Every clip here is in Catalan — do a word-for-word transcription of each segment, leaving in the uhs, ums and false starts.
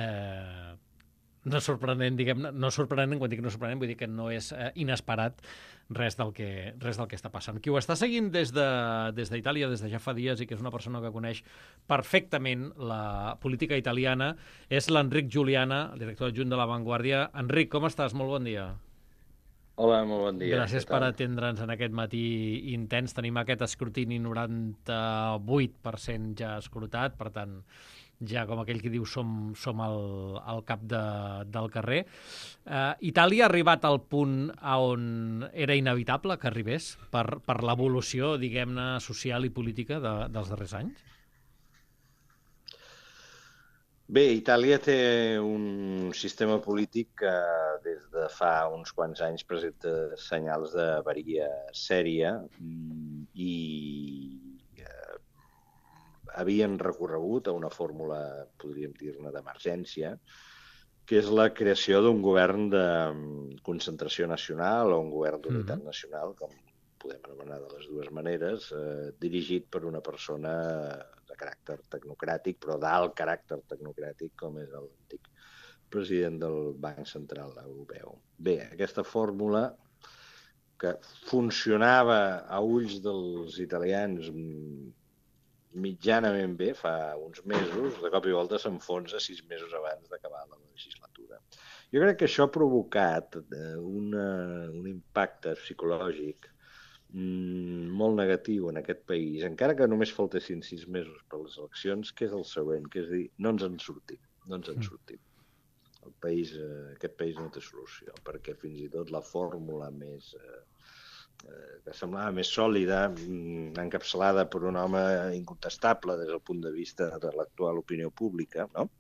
Eh, no sorprenent, diguem-ne, no sorprenent, quan dic no sorprenent, vull dir que no és eh, inesperat res del, que, res del que està passant. Qui ho està seguint des de, des d'Itàlia, des de ja fa dies, i que és una persona que coneix perfectament la política italiana, és l'Enric Juliana, el director adjunt de La Vanguardia. Enric, com estàs? Molt bon dia. Hola, molt bon dia. Gràcies Què per tal? atendre'ns en aquest matí intens. Tenim aquest escrutini noranta-vuit per cent ja escrutat, per tant, ja com aquell que diu som, som al, al cap de, del carrer. Uh, Itàlia ha arribat al punt a on era inevitable que arribés per, per l'evolució, diguem-ne, social i política de, dels darrers anys? Bé, Itàlia té un sistema polític que des de fa uns quants anys presenta senyals d'avaria sèria mm, i eh, havien recorregut a una fórmula, podríem dir-ne, d'emergència, que és la creació d'un govern de mm, concentració nacional o un govern d'unitat Mhm. nacional, com podem anomenar de les dues maneres, eh, dirigit per una persona de caràcter tecnocràtic, però d'alt caràcter tecnocràtic, com és l'antic president del Banc Central Europeu. Bé, aquesta fórmula que funcionava a ulls dels italians mm, mitjanament bé fa uns mesos, de cop i volta s'enfonsa sis mesos abans d'acabar la legislatura. Jo crec que això ha provocat eh, una, un impacte psicològic mm, molt negatiu en aquest país, encara que només faltessin sis mesos per les eleccions, que és el següent, que és dir, no ens en sortim, no ens en Mm. sortim. El país, eh, aquest país no té solució, perquè fins i tot la fórmula més eh, eh, que semblava més sòlida, mm, encapçalada per un home incontestable des del punt de vista de l'actual opinió pública, no?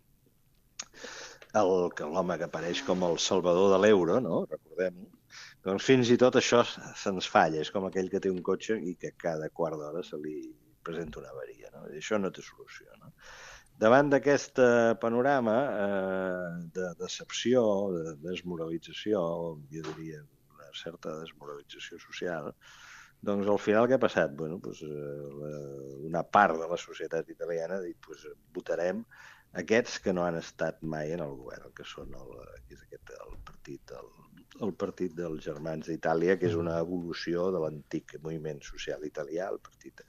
El, que l'home que apareix com el salvador de l'euro, no? Recordem-ho. Doncs fins i tot això se'ns falla. És com aquell que té un cotxe i que cada quart d'hora se li presenta una avaria, no? I això no té solució, no? Davant d'aquest panorama eh, de decepció, de desmoralització, jo diria una certa desmoralització social, doncs al final què ha passat? Bueno, doncs, eh, la, una part de la societat italiana ha dit pues, votarem aquests que no han estat mai en el govern, que són el, que és aquest, el partit el, el partit dels Germans d'Itàlia, que és una evolució de l'antic moviment social italià, el partit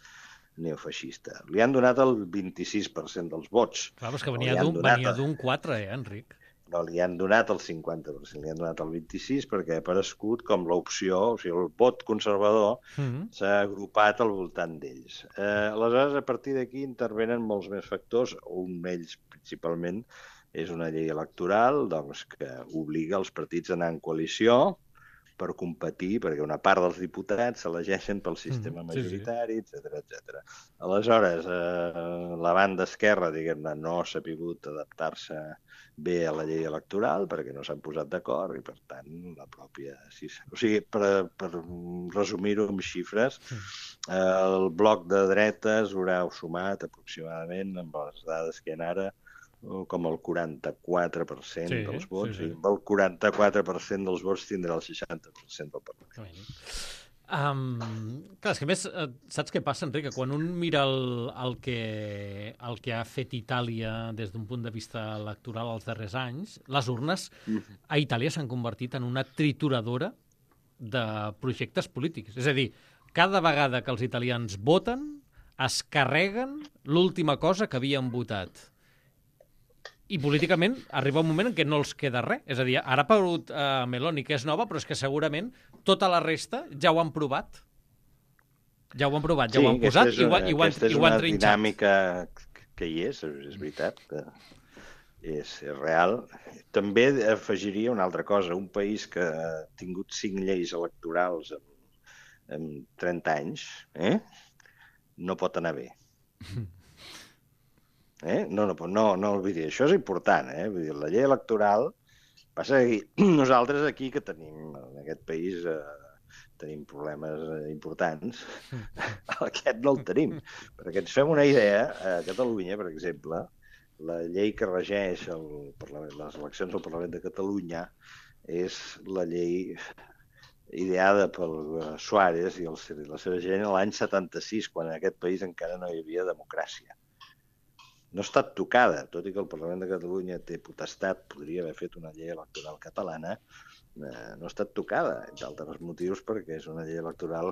neofeixista. Li han donat el vint-i-sis per cent dels vots. Clar, però és que No venia li han d'un donat, venia d'un quatre, eh, Enric? no li han donat el cinquanta per cent, li han donat el vint-i-sis perquè ha aparegut com l'opció, o sigui, el vot conservador Mm. s'ha agrupat al voltant d'ells. Eh, aleshores, a partir d'aquí intervenen molts més factors, un d'ells principalment és una llei electoral doncs, que obliga els partits a anar en coalició per competir, perquè una part dels diputats s'elegeixen pel sistema Mm. Sí, sí. majoritari, etcètera, etcètera. Aleshores, eh, la banda esquerra, diguem-ne, no s'ha pogut adaptar-se bé a la llei electoral perquè no s'han posat d'acord i, per tant, la pròpia... O sigui, per, per resumir-ho amb xifres, eh, el bloc de dretes haurà sumat aproximadament, amb les dades que hi ha ara, com el quaranta-quatre per cent Sí, dels sí, vots, sí. i amb el quaranta-quatre per cent dels vots tindrà el seixanta per cent del Parlament. Um, clar, és que a més, eh, saps què passa, Enric? Que quan un mira el, el, que, el que ha fet Itàlia des d'un punt de vista electoral els darrers anys, les urnes Mm. a Itàlia s'han convertit en una trituradora de projectes polítics. És a dir, cada vegada que els italians voten, es carreguen l'última cosa que havien votat. I políticament arriba un moment en què no els queda res. És a dir, ara ha aparegut uh, Meloni, que és nova, però és que segurament tota la resta ja ho han provat. Ja ho han provat, ja Sí, ho han aquesta posat és, i ho, han- i ho, han, aquesta és i ho han una trinxat. dinàmica que hi és, és veritat, que és, és real. També afegiria una altra cosa. Un país que ha tingut cinc lleis electorals en, en trenta anys, eh? no pot anar bé. Eh? No, no, no, no oblidi, això és important, eh? Vull dir, la llei electoral passa que nosaltres aquí que tenim, en aquest país, eh, tenim problemes eh, importants, aquest no el tenim. Perquè ens fem una idea, a Catalunya, per exemple, la llei que regeix el Parlament, les eleccions al Parlament de Catalunya és la llei ideada pel Suárez i el, la seva gent l'any setanta-sis, quan en aquest país encara no hi havia democràcia. no ha estat tocada, tot i que el Parlament de Catalunya té potestat, podria haver fet una llei electoral catalana, eh, no ha estat tocada, entre altres motius perquè és una llei electoral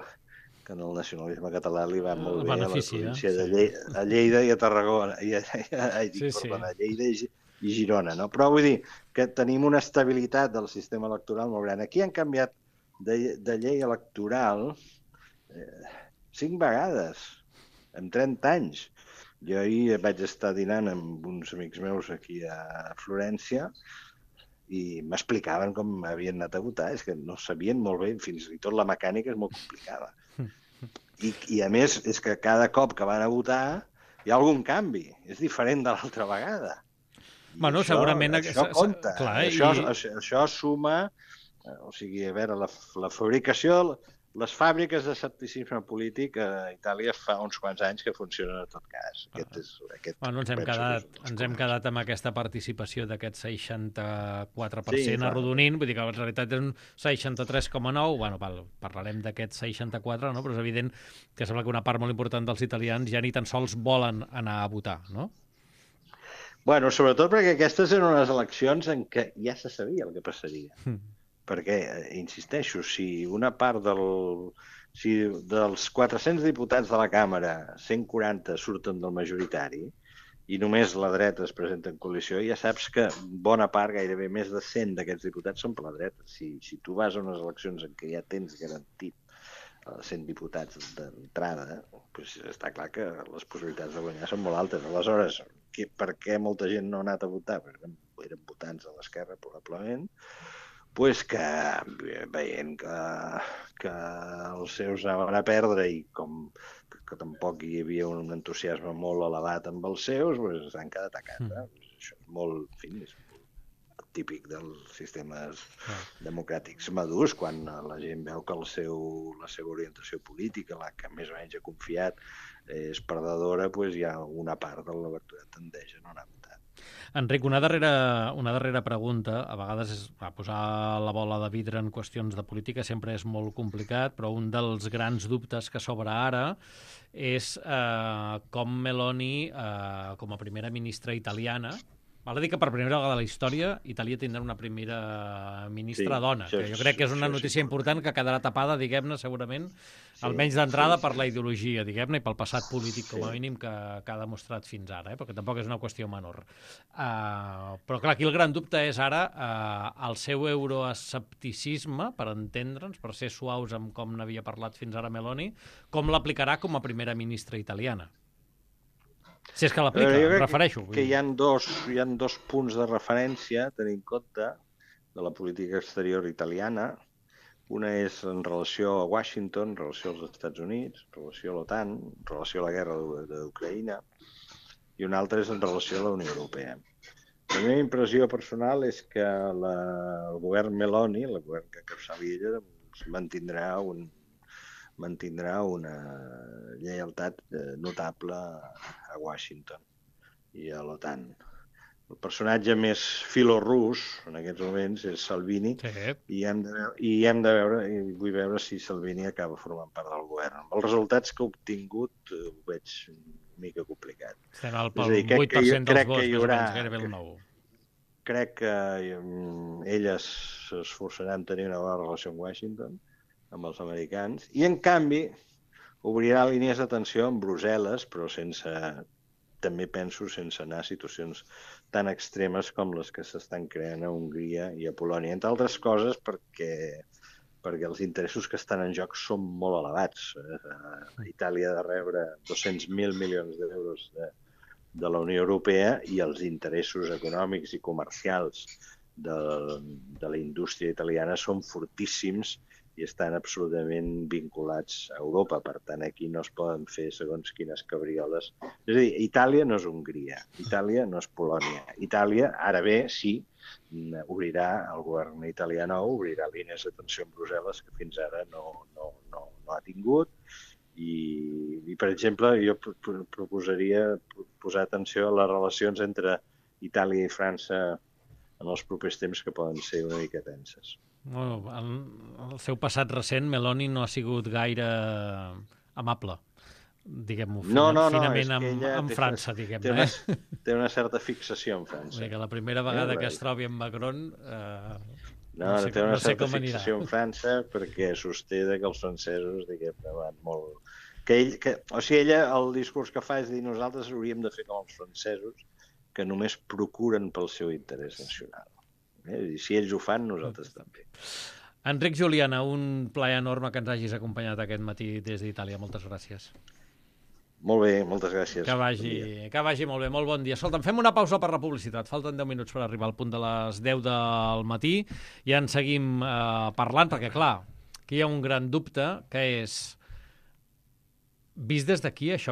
que en el nacionalisme català li va molt bé a la província de Lleida, a Lleida i a Tarragona, i a, a, a, dic, sí, perdona, a Lleida i, i Girona, no? Però vull dir que tenim una estabilitat del sistema electoral molt gran. Aquí han canviat de, de llei electoral eh, cinc vegades en trenta anys. Jo ahir vaig estar dinant amb uns amics meus aquí a Florència i m'explicaven com havien anat a votar. És que no sabien molt bé, fins i tot la mecànica és molt complicada. I, i a més, és que cada cop que van a votar hi ha algun canvi. És diferent de l'altra vegada. I bueno, això, segurament... Això compta. Clar, això, i... això, això suma... O sigui, a veure, la, la fabricació... Les fàbriques d'escepticisme polític a Itàlia fa uns quants anys que funcionen en tot cas. Aquest és, aquest bueno, ens hem quedat, ens hem quedat amb aquesta participació d'aquest seixanta-quatre per cent sí, arrodonint, vull dir que en realitat és un seixanta-tres coma nou, bueno, parlarem d'aquest seixanta-quatre, no? Però és evident que sembla que una part molt important dels italians ja ni tan sols volen anar a votar, no? Bueno, sobretot perquè aquestes eren unes eleccions en què ja se sabia el que passaria. Mm. Perquè, insisteixo, si una part del... Si dels quatre-cents diputats de la Càmera, cent quaranta surten del majoritari i només la dreta es presenta en coalició, ja saps que bona part, gairebé més de cent d'aquests diputats són per la dreta. Si, si tu vas a unes eleccions en què ja tens garantit cent diputats d'entrada, doncs està clar que les possibilitats de guanyar són molt altes. Aleshores, que, per què molta gent no ha anat a votar? Perquè eren votants de l'esquerra, probablement, pues que veient que, que els seus anaven a perdre i com que, que tampoc hi havia un entusiasme molt elevat amb els seus, pues s'han quedat a casa. Mm. Això és molt, en fi, és molt típic dels sistemes mm. democràtics madurs, quan la gent veu que el seu, la seva orientació política, la que més o menys ha confiat, és perdedora, pues hi ha una part de l'electorat tendeix a no anar a votar. Enric, una darrera, una darrera pregunta. A vegades és, a posar la bola de vidre en qüestions de política sempre és molt complicat, però un dels grans dubtes que s'obre ara és eh, com Meloni, eh, com a primera ministra italiana, val a dir que per primera vegada a la història Itàlia tindrà una primera ministra sí, dona, que jo crec que és una notícia important que quedarà tapada, diguem-ne, segurament, sí, almenys d'entrada sí, per la ideologia, diguem-ne, i pel passat polític, com a mínim, que, que ha demostrat fins ara, eh? Perquè tampoc és una qüestió menor. Uh, però clar, aquí el gran dubte és ara uh, el seu euroescepticisme, per entendre'ns, per ser suaus amb com n'havia parlat fins ara Meloni, com l'aplicarà com a primera ministra italiana. Si és que l'aplica, em refereixo. Que hi ha, dos, hi ha dos punts de referència a tenir en compte de la política exterior italiana. Una és en relació a Washington, en relació als Estats Units, en relació a l'OTAN, en relació a la guerra d'Ucraïna, i una altra és en relació a la Unió Europea. La meva impressió personal és que la, el govern Meloni, el govern que encapçali ella, mantindrà un mantindrà una lleialtat notable a Washington i a l'OTAN. El personatge més filorrus en aquests moments és Salvini, sí. i, hem de, i hem de veure, i vull veure si Salvini acaba formant part del govern. Els resultats que ha obtingut ho veig una mica complicat. Estem al vuit per cent dels vots, més o menys, gairebé el nou. Crec que elles s'esforçaran en tenir una bona relació amb Washington, amb els americans, i en canvi obrirà línies d'atenció amb Brussel·les, però sense, també penso, sense anar a situacions tan extremes com les que s'estan creant a Hongria i a Polònia. Entre altres coses perquè, perquè els interessos que estan en joc són molt elevats. A Itàlia ha de rebre dos-cents mil milions d'euros de, de la Unió Europea i els interessos econòmics i comercials de, de la indústria italiana són fortíssims i estan absolutament vinculats a Europa. Per tant, aquí no es poden fer segons quines cabrioles. És a dir, Itàlia no és Hongria, Itàlia no és Polònia. Itàlia, ara bé, sí, obrirà, el govern italià nou obrirà línies d'atenció en Brussel·les que fins ara no, no, no, no ha tingut. I, i, per exemple, jo proposaria posar atenció a les relacions entre Itàlia i França en els propers temps, que poden ser una mica tenses. Bueno, el, el seu passat recent, Meloni no ha sigut gaire amable diguem-ho, No, no, no, finament és que amb, ella amb té- França, té diguem-ne. una, Eh? té una certa fixació en França. Vull dir que la primera vegada Eh, que es trobi amb Macron... Eh, No, no sé, té una no sé certa com anirà. fixació en França perquè sosté de que els francesos, diguem-ne, van molt... Que ell, que, o sigui, ella, el discurs que fa és dir nosaltres hauríem de fer com els francesos, que només procuren pel seu interès nacional. Eh? I si ells ho fan, nosaltres també. Enric Juliana, un plaer enorme que ens hagis acompanyat aquest matí des d'Itàlia. Moltes gràcies. Molt bé, moltes gràcies. Que vagi, Bon que vagi molt bé, molt bon dia. Escolta'm, fem una pausa per la publicitat. Falten deu minuts per arribar al punt de les deu del matí i en seguim eh, parlant, perquè, clar, aquí hi ha un gran dubte, que és, vist des d'aquí, això que